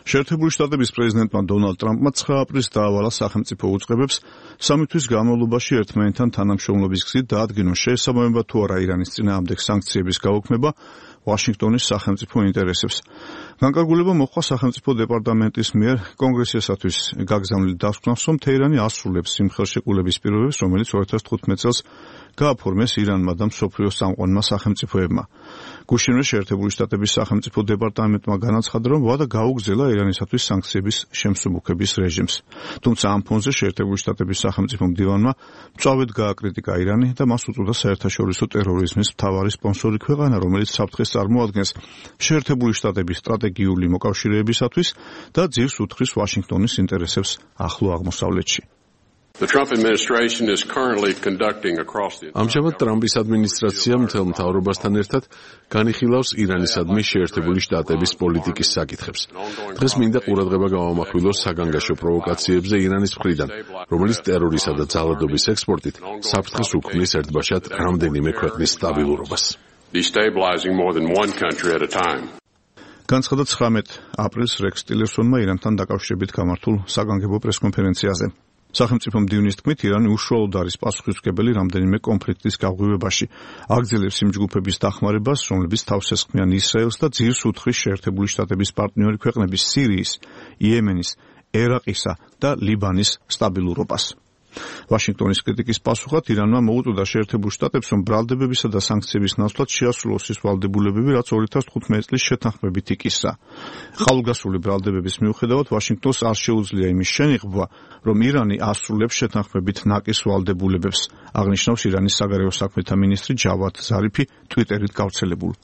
შეერთებული შტატების პრეზიდენტმა დონალდ ტრამპმა 9 აპრილს დაავალა სახელმწიფო უწყებებს 3 თვის განმავლობაში ერთმანეთთან თანამშრომლობის გზით დაადგინონ შეესაბამება თუ არა ირანის წინააღმდეგ სანქციების გაუქმება ვაშინგტონის სახელმწიფო ინტერესებს. განკარგულება მოხდა სახელმწიფო დეპარტამენტის მიერ კონგრესისათვის გაგზავნილი დასკვნას, რომ თეირანი ასრულებს იმ ხელშეკრულების პირობებს, რომელიც 2015 წელს გააფორმეს ირანმა და მსოფლიოს წამყვანმა სახელმწიფოებმა. გუშინვე შეერთებული შტატების სახელმწიფო დეპარტამენტმა განაცხადა, რომ ვადა გაუგზელა ირანისათვის სანქციების შემსუბუქების რეჟიმს. თუმცა ამ ფონზე შეერთებული შტატების სახელმწიფო მდივანმა მწვავედ გააკრიტიკა ირანი და მას უწოდა საერთაშორისო ტერორიზმის მთავარი სპონსორი ქვეყანა, რომელიც საფრთხეს წარმოადგენს შეერთებული შტატების სტრატეგიული მოკავშირეებისათვის და ძირს უთხრის ვაშინგტონის ინტერესებს ახლო აღმოსავლეთში. ამჟამად ტრამპის ადმინისტრაცია მთელ მთავრობასთან ერთად განიხილავს ირანისადმი შეერთებული შტატების პოლიტიკის საკითხებს. დღეს მინდა ყურადღება გავამახვილოს საგანგაშო პროვოკაციებზე ირანის მხრიდან, რომელიც ტერორისა და ძალადობის ექსპორტით საფრთხეს უქმნის ერთბაშად რამდენიმე ქვეყნის სტაბილურობას. განცხადა 19 აპრილს რექს ტილერსონმა ირანთან დაკავშირებით გამართულ საგანგებო პრესკონფერენციაზე. სახელმწიფო მდივნის თქმით, ირანი უშუალოდ არის პასუხისმგებელი რამდენიმე კონფლიქტის გაღვივებაში. აგრძელებს იმ ჯგუფების დახმარებას, რომლებიც თავს ესხმიან ისრაელს და ძირს უთხრის შეერთებული შტატების პარტნიორი ქვეყნების სირიის, იემენის, ერაყისა და ლიბანის სტაბილურობას. ვაშინგტონის კრიტიკის პასუხად ირანმა მოუწოდა შეერთებულ შტატებს, რომ ბრალდებებისა და სანქციების ნაცვლად შეასრულოს ის ვალდებულებები, რაც 2015 წლის შეთანხმებით იკისრა. ხალხგასული ბრალდებების მიუხედავად, ვაშინგტონს არ შეუძლია იმის შენიღბვა, რომ ირანი ასრულებს შეთანხმებით ნაკის ვალდებულებებს, აღნიშნავს ირანის საგარეო საქმეთა მინისტრი ჯავად ზარიფი ტვიტერით გავრცელებულ